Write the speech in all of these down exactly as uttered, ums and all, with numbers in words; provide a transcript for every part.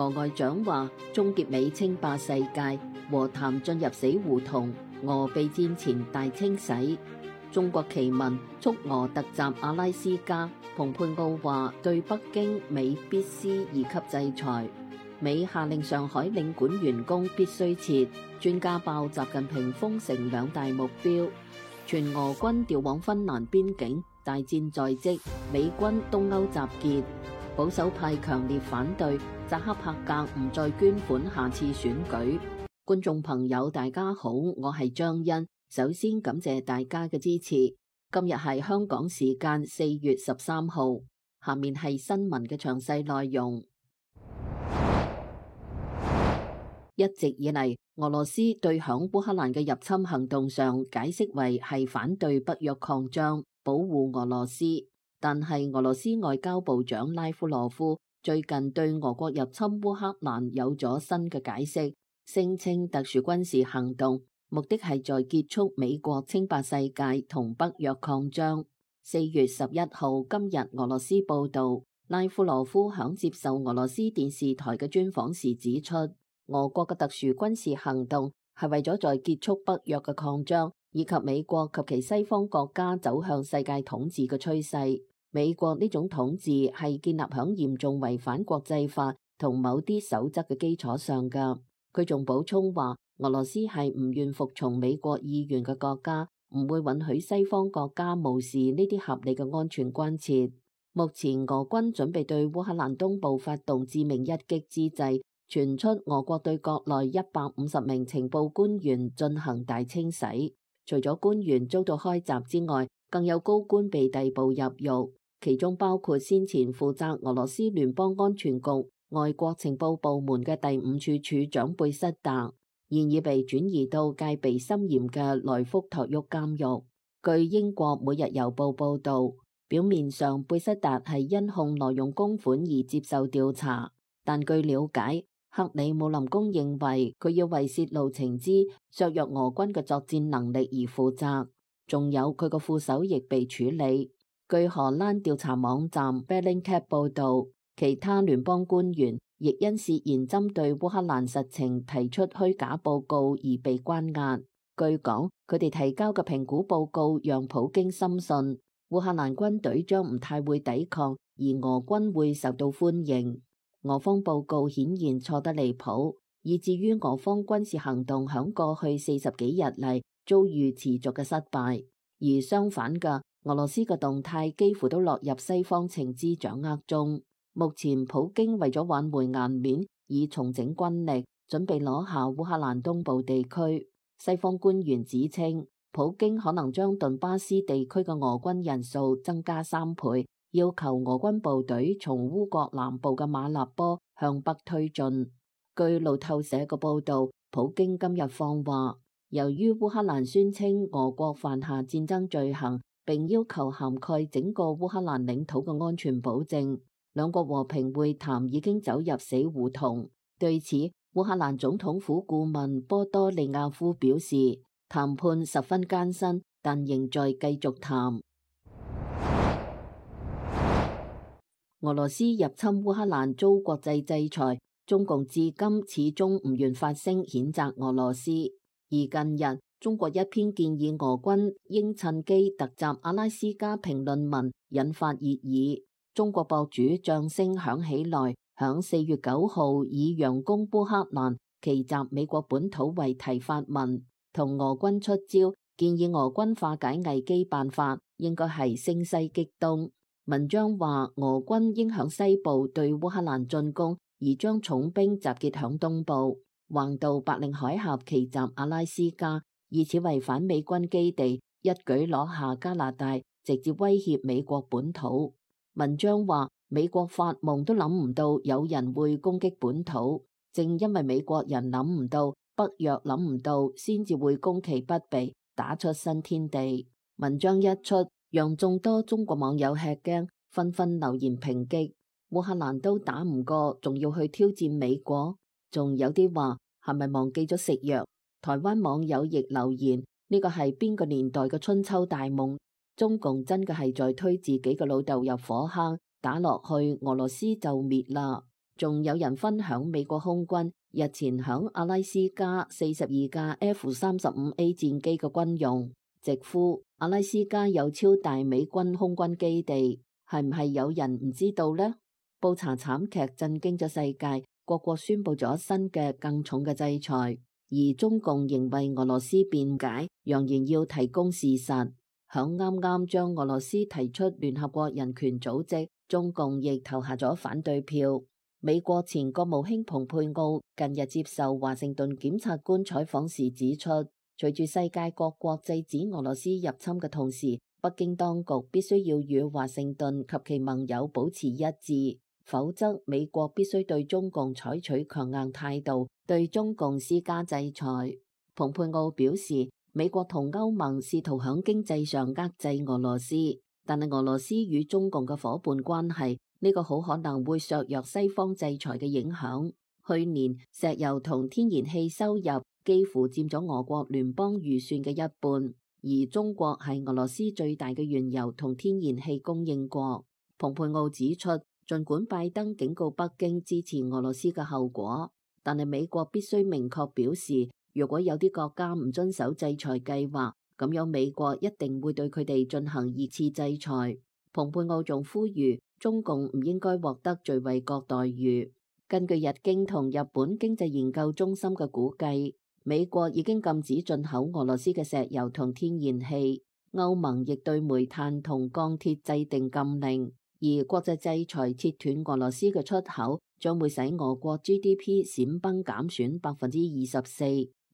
俄外長話終結美稱霸世界，和談進入死胡同，俄備戰前大清洗。中國奇聞促俄突襲阿拉斯加，蓬佩奧話對北京美必施二級制裁。美下令上海領館員工必須撤。專家爆習近平封城兩大目標。全俄軍調往芬蘭邊境，大戰在即。美軍東歐集結。保守派強烈反對扎克伯格唔再捐款下次選舉。觀眾朋友大家好，我係張欣。首先感謝大家嘅支持。今日係香港時間四月十三號，下面係新聞嘅詳細內容。一直以嚟，俄羅斯對響烏克蘭嘅入侵行動上解釋為係反對北約擴張，保護俄羅斯。但係俄羅斯外交部長拉夫羅夫最近對俄國入侵烏克蘭有咗新嘅解釋，聲稱特殊軍事行動目的係在結束美國稱霸世界同北約擴張。四月十一號，今日俄羅斯報道，拉夫羅夫響接受俄羅斯電視台嘅專訪時指出，俄國嘅特殊軍事行動係為咗在結束北約嘅擴張，以及美國及其西方國家走向世界統治嘅趨勢。美國呢種統治係建立響嚴重違反國際法同某啲守則嘅基礎上㗎。佢仲補充話，俄羅斯係唔願服從美國意願嘅國家，唔會允許西方國家無視呢啲合理嘅安全關切。目前俄軍準備對烏克蘭東部發動致命一擊之際，傳出俄國對國內一百五十名情報官員進行大清洗。除咗官員遭到開閘之外，更有高官被逮捕入獄，其中包括先前負責俄羅斯聯邦安全局外國情報部門嘅第五處處長貝塞達，現已被轉移到戒備森嚴嘅萊福托沃監獄。據英國每日郵報報道，表面上貝塞達係因控挪用公款而接受調查，但據了解，克里姆林宮認為佢要為泄露情資、削弱俄軍嘅作戰能力而負責。仲有佢個副手亦被處理。據荷蘭調查網站 Bellingcat 報道，其他聯邦官員亦因涉嫌針對烏克蘭實情提出虛假報告而被關押。據講，佢哋提交嘅評估報告讓普京深信烏克蘭軍隊將唔太會抵抗，而俄軍會受到歡迎。俄方報告顯然錯得離譜，以至於俄方軍事行動響過去四十幾日嚟遭遇持續嘅失敗。而相反嘅，俄羅斯嘅動態幾乎都落入西方情資掌握中。目前普京為咗挽回顏面，以重整軍力，準備攞下烏克蘭東部地區。西方官員指稱，普京可能將頓巴斯地區嘅俄軍人數增加三倍，要求俄軍部隊從烏國南部嘅馬立波向北推進。據路透社嘅報道，普京今日放話，由於烏克蘭宣稱俄國犯下戰爭罪行，並要求涵蓋整個烏克蘭領土嘅安全保證，兩國和平會談已經走入死胡同。對此，烏克蘭總統府顧問波多利亞夫表示，談判十分艱辛，但仍在繼續談。俄羅斯入侵烏克蘭遭國際制裁，中共至今始終唔願發聲譴責俄羅斯。而近日，中國一篇建議俄軍應趁機突襲阿拉斯加評論文引發熱議。中國博主將聲響起來，響四月九號以佯攻烏克蘭、奇襲美國本土為題發文，同俄軍出招，建議俄軍化解危機辦法應該係聲西擊東。文章話，俄軍應響西部對烏克蘭進攻，而將重兵集結響東部，橫渡白令海峽，奇襲阿拉斯加，以此違反美軍基地，一舉攞下加拿大，直接威脅美國本土。文章話，美國發夢都諗唔到有人會攻擊本土，正因為美國人諗唔到，北約諗唔到，先至會攻其不備，打出新天地。文章一出，讓眾多中國網友吃驚，紛紛留言抨擊。烏克蘭都打唔過，仲要去挑戰美國？仲有啲話係咪忘記咗食藥？台灣網友亦留言，呢個係邊個年代嘅春秋大夢？中共真嘅係在推自己嘅老豆入火坑，打落去俄羅斯就滅啦。仲有人分享美國空軍日前響阿拉斯加四十二架 F 三十五 A 戰機嘅軍用，直呼阿拉斯加有超大美軍空軍基地，係唔係有人唔知道呢？布查慘劇震驚咗世界，各國宣布咗新嘅更重嘅制裁，而中共仍為俄羅斯辯解，揚言要提供事實。響啱啱將俄羅斯提出聯合國人權組織，中共亦投下咗反對票。美國前國務卿蓬佩奧近日接受華盛頓檢察官採訪時指出，隨住世界各國制止俄羅斯入侵嘅同時，北京當局必須要與華盛頓及其盟友保持一致，否則美國必須對中共採取強硬態度，對中共施加制裁。蓬佩奧表示，美國同歐盟試圖響經濟上遏制俄羅斯，但係俄羅斯與中共嘅夥伴關係，呢個好可能會削弱西方制裁嘅影響。去年石油同天然氣收入幾乎佔咗俄國聯邦預算嘅一半，而中國係俄羅斯最大嘅原油同天然氣供應國。蓬佩奧指出，儘管拜登警告北京支持俄羅斯嘅後果，但係美國必須明確表示，如果有啲國家唔遵守制裁計劃，咁樣美國一定會對佢哋進行二次制裁。蓬佩奧仲呼籲中共唔應該獲得最惠國待遇。根據日經同日本經濟研究中心嘅估計，美國已經禁止進口俄羅斯嘅石油同天然氣，歐盟亦對煤炭同鋼鐵制定禁令，而國際制裁切斷俄羅斯嘅出口，將會使俄國 G D P 閃崩減損百分之二十四，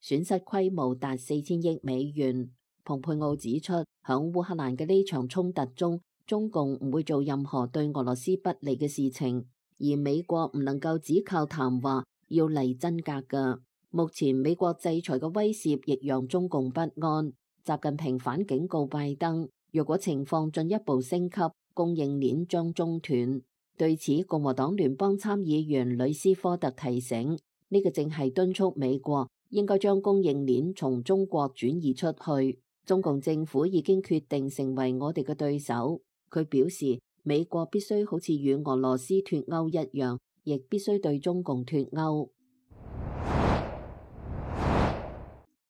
損失規模達四千億美元。蓬佩奧指出，響烏克蘭嘅呢場衝突中，中共唔會做任何對俄羅斯不利嘅事情，而美國唔能夠只靠談話，要嚟真格㗎。目前美國制裁嘅威懾亦讓中共不安。習近平反警告拜登，若果情況進一步升級，供應鏈將中斷。對此，共和黨聯邦參議員呂斯科特提醒，呢個正係敦促美國應該將供應鏈從中國轉移出去。中共政府已經決定成為我哋嘅對手。佢表示，美國必須好似與俄羅斯脫歐一樣，亦必須對中共脫歐。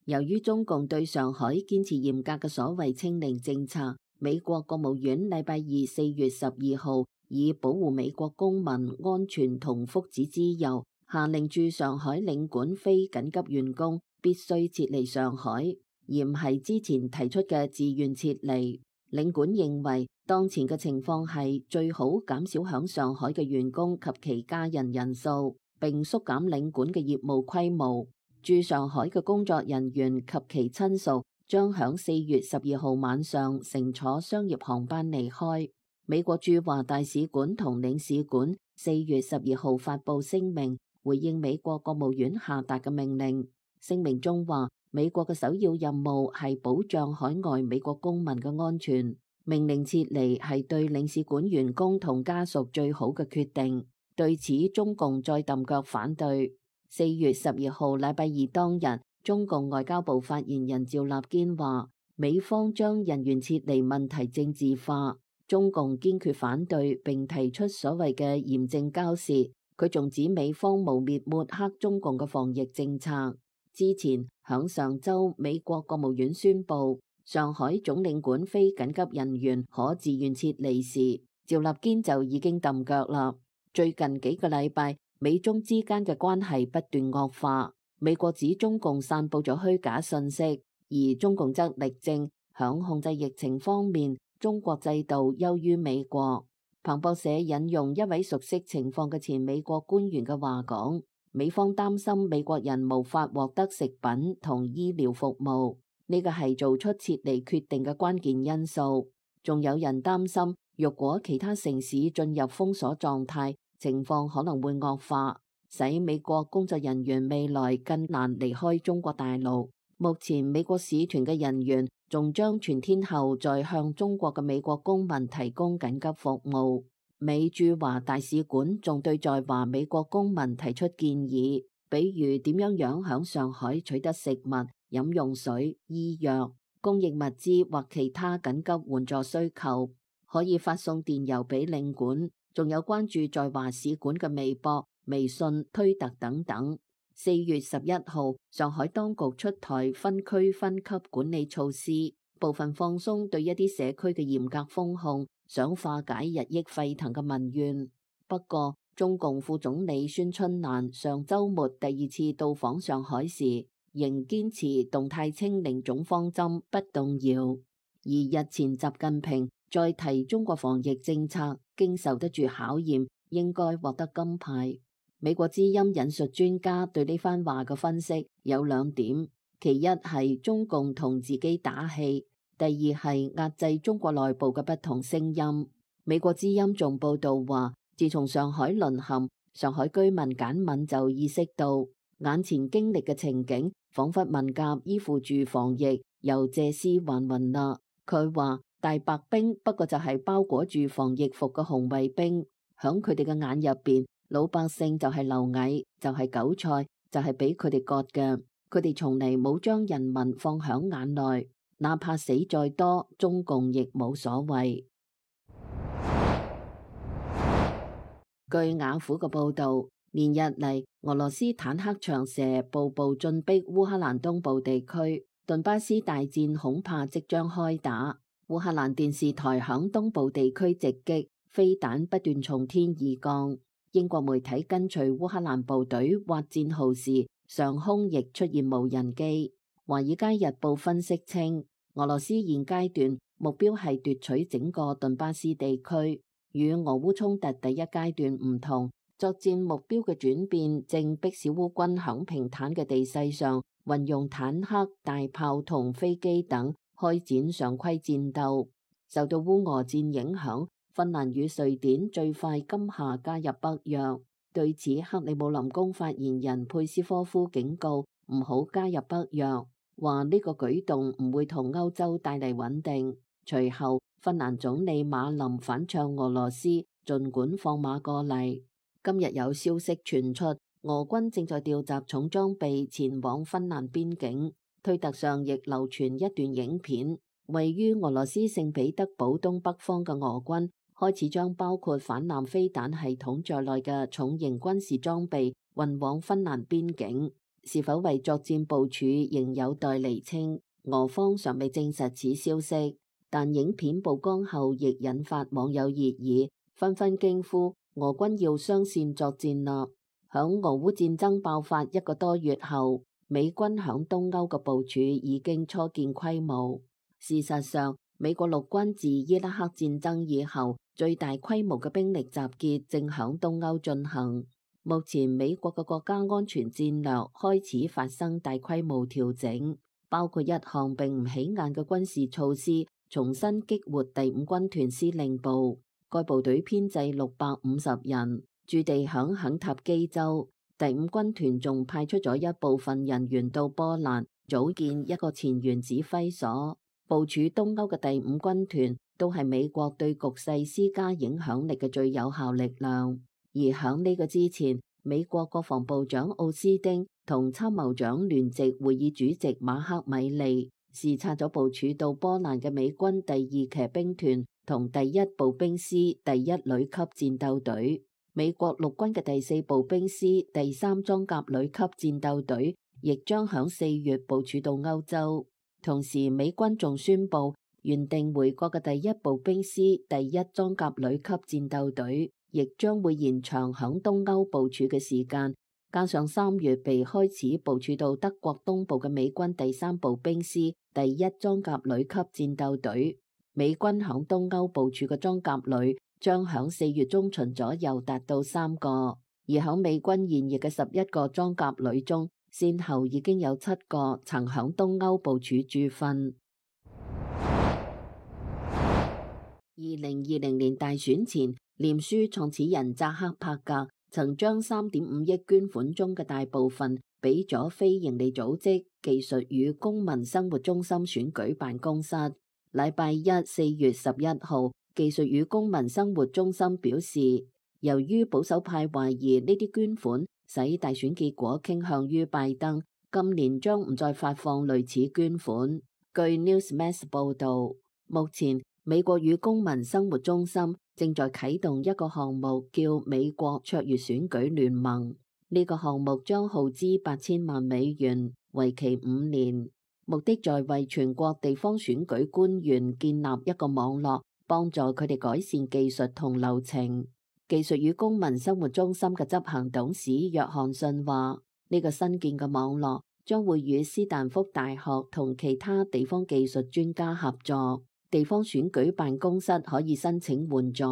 由於中共對上海堅持嚴格嘅所謂清零政策，美國國務院禮拜二四月十二號以保護美國公民安全同福祉之由，下令駐上海領館非緊急員工必須撤離上海，而唔係之前提出嘅自願撤離。領館認為，當前嘅情況係最好減少響上海嘅員工及其家人人數，並縮減領館嘅業務規模。駐上海嘅工作人員及其親屬將響四月十二號晚上乘坐商業航班離開。美國駐華大使館同領事館四月十二號發佈聲明，回應美國國務院下達嘅命令。聲明中話，美國嘅首要任務係保障海外美國公民嘅安全，命令撤離係對領事館員工同家屬最好嘅決定。對此，中共再揼腳反對。四月十二號禮拜二當日，中共外交部發言人趙立堅話，美方將人員撤離問題政治化，中共堅決反對，並提出所謂嘅嚴正交涉。佢仲指美方污衊抹黑中共嘅防疫政策。之前響上週，美國國務院宣布上海總領館非緊急人員可自願撤離時，趙立堅就已經揼腳啦。最近幾個禮拜，美中之間嘅關係不斷惡化。美國指中共散佈咗虛假信息，而中共則力證響控制疫情方面，中國制度優於美國。彭博社引用一位熟悉情況嘅前美國官員嘅話講，美方擔心美國人無法獲得食品同醫療服務，呢個係做出撤離決定嘅關鍵因素。仲有人擔心，若果其他城市進入封鎖狀態，情況可能會惡化，使美國工作人員未來更難離開中國大陸。目前美國使團嘅人員仲將全天候在向中國嘅美國公民提供緊急服務。美駐華大使館仲對在華美國公民提出建議，比如點樣樣響上海取得食物、飲用水、醫藥、供應物資或其他緊急援助需求，可以發送電郵俾領館。仲有關注在華使館嘅微博，微信、推特等等。四月十一號，上海當局出台分區分級管理措施，部分放鬆對一啲社區嘅嚴格封控，想化解日益沸騰嘅民怨。不過，中共副總理孫春蘭上週末第二次到訪上海時，仍堅持動態清零總方針不動搖。而日前習近平再提中國防疫政策經受得住考驗，應該獲得金牌。美國之音引述專家對呢番話嘅分析有兩點，其一係中共同自己打氣，第二係壓制中國內部嘅不同聲音。美國之音仲報道話，自從上海淪陷，上海居民簡敏就意識到眼前經歷嘅情景，仿佛文革依附住防疫，又借屍還魂啦。佢話大白兵不過就係包裹住防疫服嘅紅衛兵，響佢哋嘅眼入邊，老百姓就係螻蟻，就係韭菜，就係俾佢哋割嘅。佢哋從嚟冇將人民放響眼內，哪怕死再多，中共亦冇所謂。據雅虎嘅報道，連日嚟俄羅斯坦克長蛇步步進逼烏克蘭東部地區，頓巴斯大戰恐怕即將開打。烏克蘭電視台響東部地區直擊，飛彈不斷從天而降。英國媒體跟隨烏克蘭部隊挖戰壕時，上空亦出現無人機。華爾街日報分析稱，俄羅斯現階段目標係奪取整個頓巴斯地區。與俄烏衝突第一階段唔同，作戰目標嘅轉變正迫使烏軍響平坦嘅地勢上運用坦克、大炮同飛機等開展常規戰鬥。受到烏俄戰影響，芬蘭與瑞典最快今夏加入北約。對此，克里姆林宮發言人佩斯科夫警告唔好加入北約，話呢個舉動唔會同歐洲帶嚟穩定。隨後，芬蘭總理馬林反唱俄羅斯，儘管放馬過嚟。今日有消息傳出，俄軍正在調集重裝備前往芬蘭邊境。推特上亦流傳一段影片，位於俄羅斯聖彼得堡東北方嘅俄軍開始將包括反艦飛彈系統在內嘅重型軍事裝備運往芬蘭邊境。是否為作戰部署仍有待釐清，俄方尚未證實此消息。但影片曝光後，亦引發網友熱議，紛紛驚呼俄軍要雙線作戰啦。響俄烏戰爭爆發一個多月後，美軍響東歐嘅部署已經初見規模。事實上，美國陸軍自伊拉克戰爭以後，最大規模嘅兵力集結正響東歐進行。目前美國嘅國家安全戰略開始發生大規模調整，包括一項並唔起眼嘅軍事措施，重新激活第五軍團司令部。該部隊編制六百五十人，駐地響肯塔基州。第五軍團仲派出咗一部分人員到波蘭，組建一個前沿指揮所。部署東歐嘅第五軍團都係美國對局勢施加影響力嘅最有效力量。而響呢個之前，美國國防部長奧斯丁同參謀長聯席會議主席馬克米利視察咗部署到波蘭嘅美軍第二騎兵團同第一步兵師第一旅級戰鬥隊。美國陸軍嘅第四步兵師第三裝甲旅級戰鬥隊亦將響四月部署到歐洲。同時，美軍仲宣布原定回國嘅第一步兵師第一裝甲旅級戰鬥隊亦將會延長響東歐部署嘅時間，加上三月被開始部署到德國東部嘅美軍第三步兵師第一裝甲旅級戰鬥隊。美軍響東歐部署嘅裝甲旅將響四月中旬左右達到三個，而響美軍現役嘅十一個裝甲旅中，先後已經有七個曾響東歐部署駐訓。二零二零年大選前，臉書創始人扎克伯格曾將三點五億捐款中嘅大部分俾咗非營利組織技術與公民生活中心選舉辦公室。禮拜一四月十一號，技術與公民生活中心表示，由於保守派懷疑呢啲捐款使大選結果傾向於拜登，今年將唔再發放類似捐款。據 Newsmax 報道，目前美國與公民生活中心正在啟動一個項目，叫美國卓越選舉聯盟。呢個項目將耗資八千萬美元，為期五年，目的在為全國地方選舉官員建立一個網絡，幫助佢哋改善技術同流程。技術與公民生活中心嘅執行董事約翰遜話：呢個新建嘅網絡將會與斯坦福大學同其他地方技術專家合作，地方選舉辦公室可以申請援助。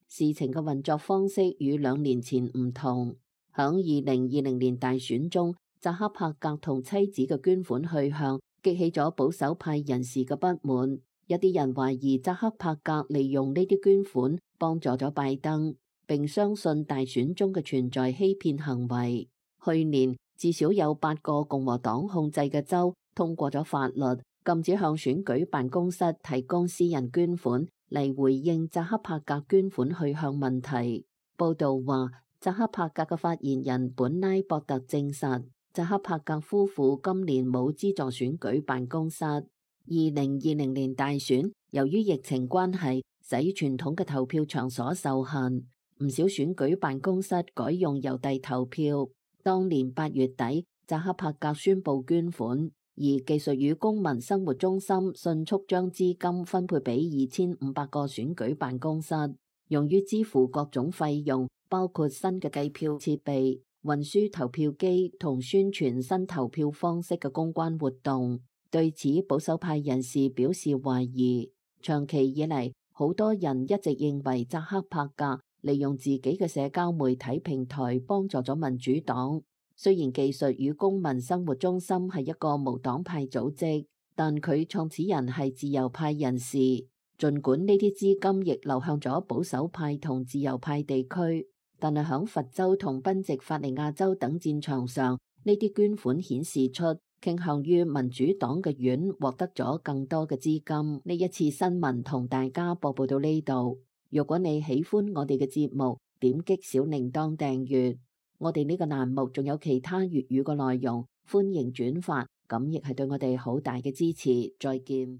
事情嘅運作方式與兩年前唔同。響二零二零年大選中，扎克伯格同妻子嘅捐款去向激起咗保守派人士嘅不滿。一啲人懷疑扎克伯格利用呢啲捐款幫助咗拜登，並相信大選中嘅存在欺騙行為。去年至少有八個共和黨控制嘅州通過咗法律，禁止向選舉辦公室提供私人捐款嚟回應扎克伯格捐款去向問題。報道話，扎克伯格嘅發言人本拉博特證實，扎克伯格夫婦今年冇資助選舉辦公室。二零二零年大選由於疫情關係，使傳統嘅投票場所受限，唔少選舉辦公室改用郵遞投票。當年八月底，扎克伯格宣布捐款，而技術與公民生活中心迅速將資金分配俾二千五百個選舉辦公室，用於支付各種費用，包括新嘅計票設備、運輸投票機同宣傳新投票方式嘅公關活動。對此，保守派人士表示懷疑。長期以嚟，好多人一直認為扎克伯格利用自己嘅社交媒體平台幫助咗民主黨。雖然技術與公民生活中心係一個無黨派組織，但佢創始人係自由派人士。儘管呢啲資金亦流向咗保守派同自由派地區，但係響佛州同賓夕法尼亞州等戰場上，呢啲捐款顯示出傾向於民主黨嘅院獲得咗更多嘅資金。呢一次新聞同大家播報到呢度。如果你喜歡我哋嘅節目，點擊小鈴鐺訂閱。我哋呢個欄目仲有其他粵語嘅內容，歡迎轉發，咁亦係對我哋好大嘅支持。再見。